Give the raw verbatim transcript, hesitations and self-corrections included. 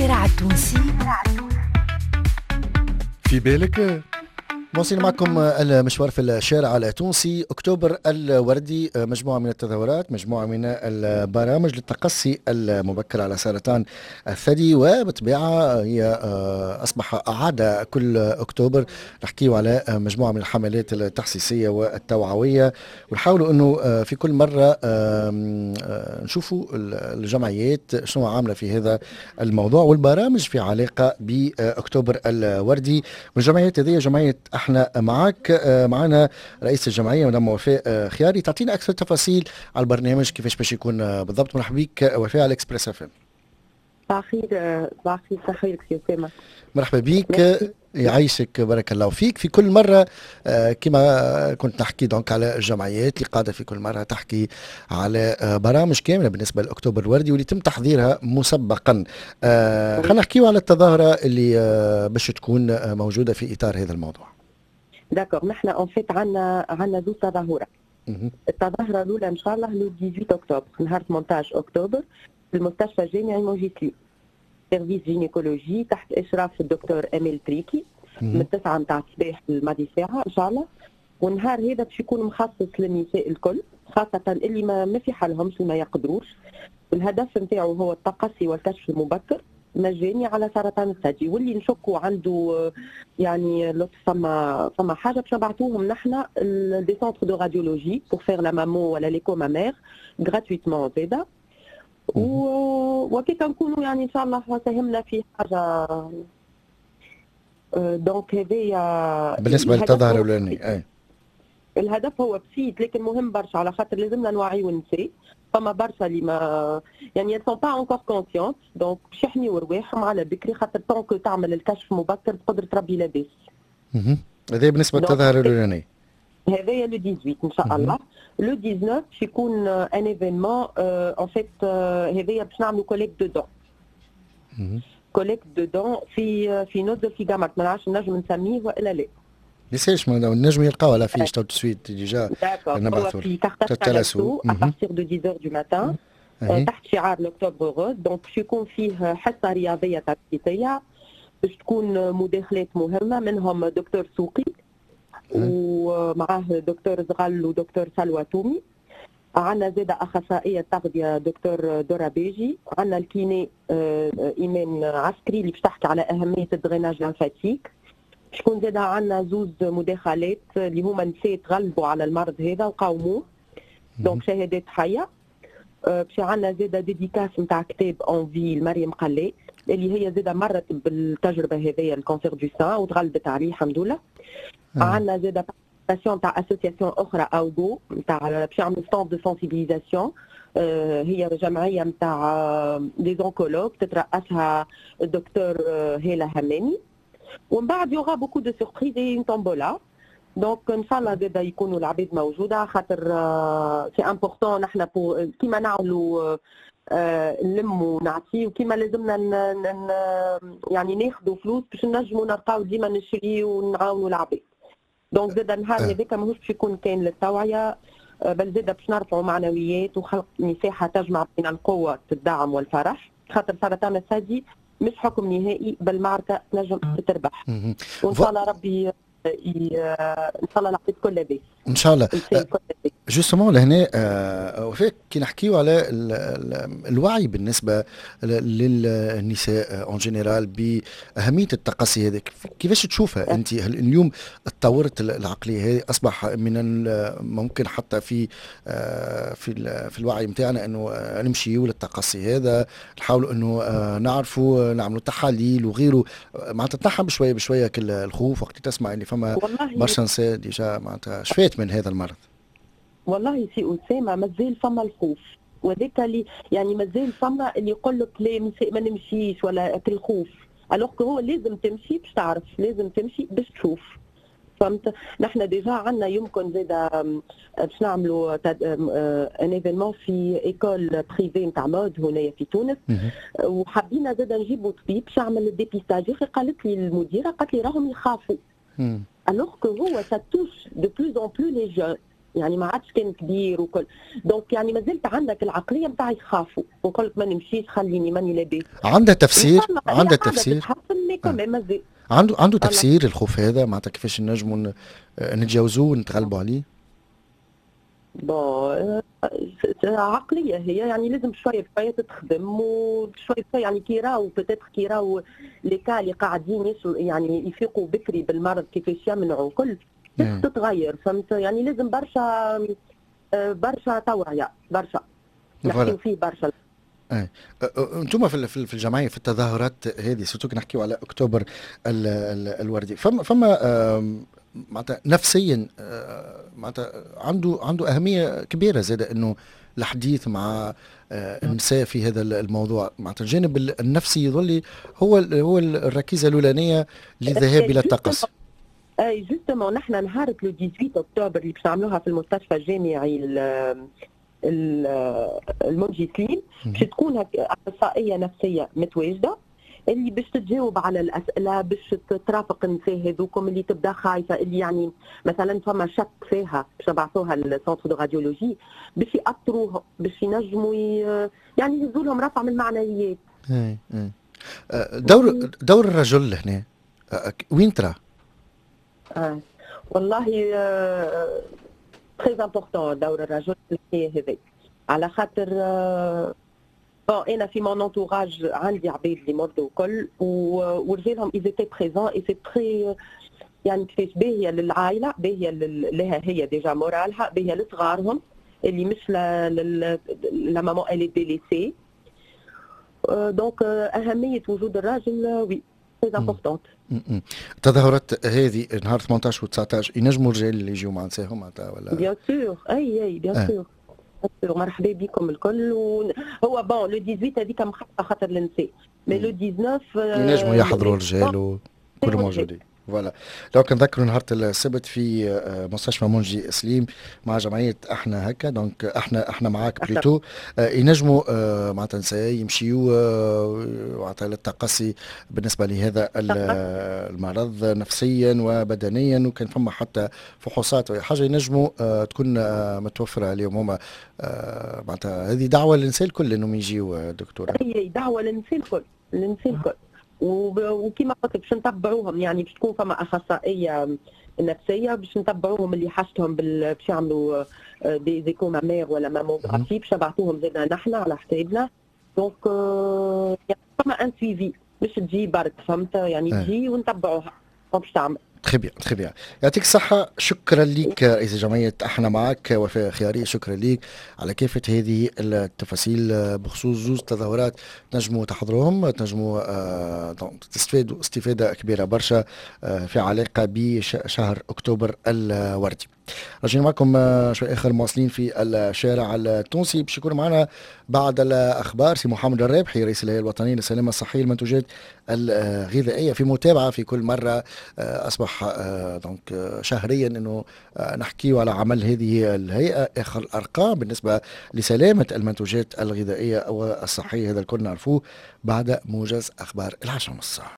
الشارع التونسي. في بالك. مواصلين معكم المشوار في الشارع التونسي. اكتوبر الوردي، مجموعة من التظاهرات، مجموعة من البرامج للتقصي المبكر على سرطان الثدي، وبطبيعة هي اصبح عادة كل اكتوبر نحكيو على مجموعة من الحملات التحسيسيه والتوعويه، ونحاولوا انه في كل مرة نشوفوا الجمعيات شنو عامله في هذا الموضوع والبرامج في علاقة باكتوبر الوردي. والجمعيات هذه جمعية احنا معك، آه، معنا رئيس الجمعية مدام وفاء آه، خياري، تعطينا اكثر تفاصيل على البرنامج كيفاش باش يكون آه، بالضبط. مرحبا بك وفاء على اكسبريس اف ام. صباح الخير، صباح الخير، صباح خيرك سي اسامه. مرحبا بك، يعيشك، بارك الله فيك. في كل مرة كما كنت نحكي donc على الجمعيات اللي قاعدة في كل مرة تحكي على برامج كاملة بالنسبة لأكتوبر الوردي واللي تم تحضيرها مسبقا. خلينا نحكيو على التظاهرة اللي باش تكون موجودة في إطار هذا الموضوع. d'accord، نحن en fait عندنا عندنا زوج تظاهرات. التظاهرة الاولى ان شاء الله le ثمنطاش اكتوبر، نهار ثمنطاش اكتوبر، في المستشفى الجامعي منجي سليم، service gynécologie، تحت اشراف الدكتور اميل تريكي، من تسعة نتاع الصباح لماضي ساعة ان شاء الله. والنهار هذا باش يكون مخصص للنساء الكل، خاصة اللي ما, ما في حالهمش، ما يقدروش. الهدف نتاعو هو التقصي والكشف المبكر مجاني على سرطان الثدي، واللي نشكوا عنده يعني لطف فما فما حاجه، باش نبعثوهم نحن des centres de radiologie pour faire la mammo ولا l'écho mammaire gratuitement زاده. وكيف نكونوا يعني ان شاء الله ساهمنا في حاجه. donc هذايا بالنسبة للتظاهره الاولانيه اي. الهدف هو بسيط لكن مهم برشا، على خاطر لازمنا نوعيو النساء. فما برشا اللي ما يعني sont pas encore conscientes، donc باش يحميو رواحهم على بكري، خاطر tant que تعمل الكشف مبكر بقدرة ربي لاباس. هذا بالنسبة للتظاهر الاولاني. هذايا le ثمنطاش ان شاء الله. le تسعطاش باش يكون un événement en fait، هذايا باش نعملوا collecte de dons collecte de dons في في نزل في قمرت، ما نعرفش نجم نسميه والا لا. يسالش، نجم يلقاو على fiche tout de suite déjà. نبعثوا في Carthage Thalasso à partir de dix du matin، تحت شعار l'octobre rose. donc باش يكون فيه حصة رياضية تنشيطيه، باش تكون مداخلات مهمه، منهم دكتور سوقي ومعاه دكتور زغل ودكتور سلوى تومي. عندنا زاد اخصائية تغذية دكتور دورا بيجي، عندنا ال kiné ايمان عسكري اللي باش تحكي على اهمية ال drainage lymphatique. شكون زاد؟ عندنا زوز مداخلات اللي هما نساء تغلبوا على المرض هذا وقاوموه، donc شهادات حيه. باش عندنا زاد dédicace نتاع كتاب en vie مريم قلال، اللي هي زاد مرت بالتجربة هذيا، ال cancer du sein، وتغلبت عليه الحمد لله. آه. عندنا زاد participation تاع association اخرى اوغو نتاع باش يعملوا stand de sensibilisation، هي جمعية نتاع des oncologues تترأسها الدكتور هيلا هماني. ومن بعد y aura beaucoup de surprises et une tombola. donc ان شاء الله زاد يكونوا العباد موجوده، خاطر c'est important. نحن كيما نعملوا نلموا ونعطيو، كيما لازمنا يعني ناخذوا فلوس باش نجموا نلقاو ديما نشري ونعاونوا العباد. donc زاد النهار هذاك ماهوش باش يكون كان للتوعيه، بل زاد باش نرفعوا معنويات وخلق مساحة تجمع بين القوه، الدعم والفرح، خاطر سرطان الثدي مش حكم نهائي بل معركة تنجم تربح. وان شاء الله ربي ان شاء الله العباد كل لاباس. ان شاء الله. justement لهنا آه، وفاء، كي نحكيو على الوعي بالنسبة للنساء en général باهمية التقصي هذا، كيفاش تشوفها انت؟ هل اليوم تطورت العقلية هذه؟ اصبح من الممكن حتى في آه، في في الوعي نتاعنا انه نمشيو للتقصي هذا، نحاولوا انه آه، نعرفوا نعملوا تحاليل وغيره، معناتها تنحى بشوية بشوية كل الخوف وقت تسمع اللي فما برشا نساء déjà معناتها شفات من هذا المرض؟ والله سي اسامه، مازال فما الخوف، وذاك اللي يعني مازال فما اللي يقول لك لا ما نمشيش ولا الخوف، alors هو لازم تمشي باش تعرف، لازم تمشي باش تشوف، فهمت؟ نحن déjà عندنا يمكن زاد باش نعملوا un événement في école privée نتاع mode هنايا في تونس، وحبينا زاد نجيبوا طبيب باش يعمل ال dépistage. يا اخي قالت لي المديره، قالت لي راهم يخافوا، alors que هو ça touche de plus en plus les jeunes. يعني ما عادش كان كبير وكل. donc يعني ما زلت عندك العقلية نتاع يخافوا ويقول لك ما نمشيش، خليني ماني لاباس. عندها تفسير؟ عندها تفسير؟ آه. عنده عنده تفسير الخوف هذا؟ معناتها كيفاش نجموا نتجاوزوه ونتغلبوا عليه؟ bon، عقلية هي، يعني لازم شوية شوية تتخدم وشوية شويه، يعني كي راو peut-être كي راو les cas اللي قاعدين يعني يفيقوا بكري بالمرض، كيفاش يمنعوا كل تتغير، فهمت؟ يعني لازم برشا برشا توعيه، برشا نحكيو فيه برشا. ايه، انتم في في الجمعية في التظاهرات هذه، surtout نحكيو على اكتوبر ال ال الوردي، فما فما معناتها نفسيا معناتها عنده عنده اهمية كبيرة زاد انه الحديث مع النساء في هذا الموضوع، معناتها الجانب النفسي يظل هو هو الركيزة الاولانية للذهاب الى التقصي. اي، justement نحن نهار le ثمنطاش اكتوبر اللي باش نعملوها في المستشفى الجامعي المنجي سليم، باش تكون اخصائية نفسية متواجدة اللي باش تجاوب على الاسئله، باش ترافق النساء هذوكم اللي تبدا خايفه، اللي يعني مثلا فما شك فيها، باش نبعثوها لل centre de radiologie، باش يأطروها، باش ينجموا يعني يهزوا لهم رفع من المعنويات. اي اي دور دور الرجل هنا وين ترى؟ آه. والله très important دور الرجل في الحكاية هذه، على خاطر bon انا في mon entourage عندي عباد اللي مرضوا الكل ورجالهم ils étaient présents et c'est très يعني كيفاش باهيه للعائله، باهيه لها هي déjà moral ها، باهيه لصغارهم اللي مش la maman elle est délaissée. donc اهمية وجود الراجل oui très importante. التظاهرات هذه نهار ثمنطاش و تسعطاش ينجموا الرجال اللي يجيو مع نساهم معناتها ولا؟ bien sûr، اي اي bien sûr، مرحبا بكم الكل. هو bon le ثمنطاش هذيك مخصصة خاطر النساء، mais le تسعطاش ينجموا يحضروا الرجال وكل موجودين. voilà، donc نذكروا نهار السبت في آه، مستشفى منجي سليم مع جمعية احنا هكا، donc احنا احنا معاك plutôt، آه، ينجموا آه، معناتها نساء يمشيوا معناتها للتقصي بالنسبة لهذا المرض نفسيا وبدنيا، وكان فما حتى فحوصات او حاجة ينجموا تكون متوفرة عليهم هما. معناتها هذه دعوه للنساء الكل انهم يجيوا دكتوره. هي دعوه للنساء الكل، للنساء الكل، وكما قلت باش نتبعوهم، يعني باش تكون فما اخصائية نفسية باش نتبعوهم اللي حاجتهم باش يعملوا des échos mammaires ولا mammographie، باش نبعثوهم زادنا نحن على حسابنا. donc يعني فما un suivi، مش تجي برك، فهمت؟ يعني تجي ونتبعوها باش تعمل. très bien، très bien، يعطيك الصحة، شكرا لك رئيس جمعية احنا معك وفاء خياري، شكرا لك على كافة هذه التفاصيل بخصوص زوز تظاهرات تنجموا تحضروهم، تنجموا آه، تستفادوا استفادة كبيرة برشا آه، في علاقة بشهر أكتوبر الوردي. راجعين معكم آه، شوي اخر مواصلين في الشارع التونسي. باش يكون معنا بعد الاخبار سي محمد الرابحي، رئيس الهيئة الوطنية للسلامة الصحية للمنتوجات الغذائيه، في متابعه في كل مرة آه، اصبح donc آه، شهريا انه نحكي على عمل هذه الهيئه، اخر الارقام بالنسبة لسلامة المنتوجات الغذائية والصحيه. هذا الكل نعرفوه بعد موجز اخبار العشرة ونص.